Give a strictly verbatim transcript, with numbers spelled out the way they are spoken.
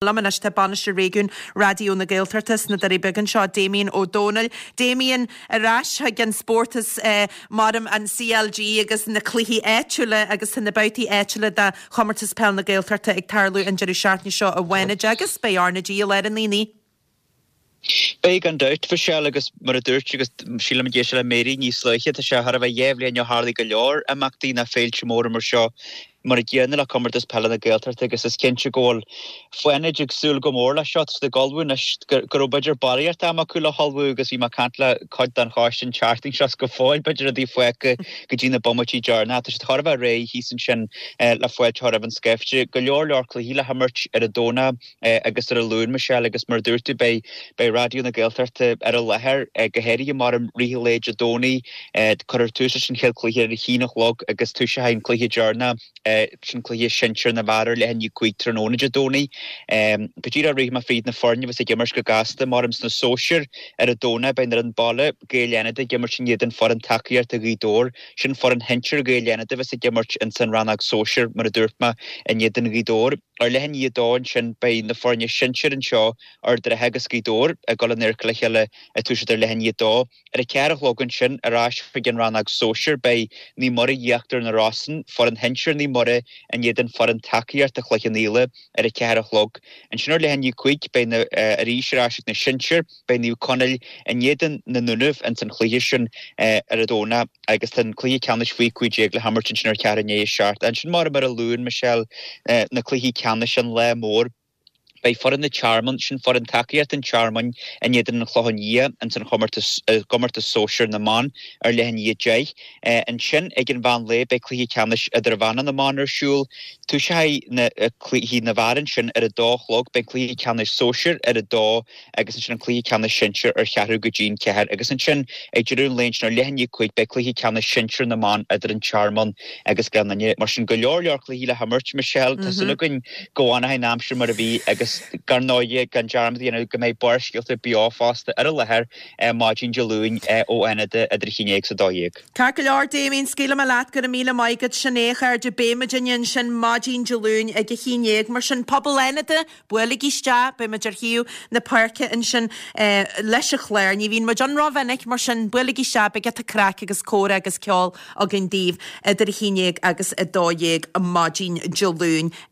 Liom anois tá Bainisteoir Réigiúin Raidió na Gaeltachta sna Doirí Beaga anseo, Damien Ó Dónaill. Damien, ar ais chuig an spórt is maram an CLG agus na cluichí áitiúla agus tá na babhtaí áitiúla de Chomórtas Peil na Gaeltachta ag tarlú an deireadh seachtaine seo i bhFánaid agus beidh RnaG i lár an aonaigh. Beidh gan dabht, Michelle, agus mar a dúirt agus sílim ag éisteacht le Mary níos luaithe, tá sé thar a bheith dhá bhliain ó tharlaigh go leor imeachtaí ná féilte móra mar seo mar a gcéanna le Comórtas Peile na Gaeltachta agus is cinnte go bhfuil Fánaid ag súil go mór leis seo. Tá siad ag ullmhú anois go raibh b'fhéidir barraíocht ama acu le hullmhú agus bhí mé ag caint le cuid den choiste an tseachtain seo is go fóill b'fhéidir rudaí fágtha go dtí na bomaití deireanacha. Tá siad thar a bheith réidh thíos ansin le fáilte a chur roimh an scaifte. Go leor leor cluichí le himirt ar an Domhnach agus ar an Luan, Michelle, agus mar a dúirt tú beidh beidh Raidió na Gaeltachta ar an láthair, go háirithe mar i rith an lae Dé Domhnaigh. Cuirfear tús leis an chéad chluiche ar a haon a chlog agus toiseoidh an cluiche deireanach, sin cluiche sinsir na bhfear ar leath i ndiaidh a cúig tráthnóna Dé Domhnaigh. Go díreach rithfidh mé fríd na foirne a bheas ag imirt go gasta mar sna sóisir ar an Domhnach beidh an fhoireann baile, Gaeil Fhánada ag imirt in éadan foireann tacaíochta Ghaoth Dobhair. Sin foireann shinsir Ghaeil Fhánada a bheas ag imirt ins an rannóg sóisir mar a dúirt mé in éadan Ghaoth Dobhair. Ar leath i ndiaidh a dó ansin beidh na foirne sinsir anseo, Ard an Rátha agus Gaoth Dobhair, ag dul in adharca le chéile ag toiseacht ar leath i ndiaidh a dó. Ar a ceathair a chlog ansin, ar ais chuig an rannóg sóisir, beidh Naomh Muire Íochtar na Rosann, foireann shinsir Naomh Muire in éadan foireann tacaíochta Chloich Cheann Fhaola ar a ceathair a chlog. Ansin ar leath i ndiaidh a cúig beidh na arís ar ais ag na sinsir, beidh Naomh Conaill in éadan na nDúnaibh ins an chluiche sin ar an Domhnach agus tá an cluiche ceannais faoi cúig déag le himirt ansin ar cheathrú i ndiaidh a seacht. Ansin mar ar an Luan, Michelle, na cluichí ceannais an lá mór. Beidh foireann an Tearmainn, sin foireann tacaíochta an Tearmainn in éadan an Chlocháin Liath ins an chomórtas i gcomórtas sóisir na mban ar leath i ndiaidh a deich. Ansin ag an mheán lae beidh cluiche ceannais idirmheánach na mban ar siúl. Toiseoidh na cluichí na bhfear ansin ar a dó a chlog. Beidh cluiche ceannais sóisir ar a dó agus ansin an cluiche ceannais sinsir ar cheathrú go dtí'n ceathair. Agus ansin ag deireadh an lae ansin ar leath i ndiaidh a cúig beidh cluiche ceannais sinsir na mban idir an Tearmann agus Gleann Fhinne. Mar sin go leor leor cluichí le himirt, Michelle. Tá súil againn go bhfanfaidh an aimsir mar a bhí agus dar ndóigh gan dearmad a dhéanamh go mbeidh Barrscéalta beo fosta ar an láthair maidin Dé Luain ó Fhánada idir a haon déag is a dó dhéag. Ceart go leor, Damien, scaoilfidh mé leat, go raibh míle maith agat, sin é a chairde, beidh muidinne ansin maidin Dé Luain ag a haon déag, mar sin pobal Fhánada, buailigí isteach, beidh muid ar thaobh na páirce ansin leis an chlár, ní bhíonn muid ann rómhinic, mar sin buailigí isteach, beidh giota craic agus comhrá agus ceol againn daoibh idir a haon déag agus a dó dhéag maidin Dé Luain.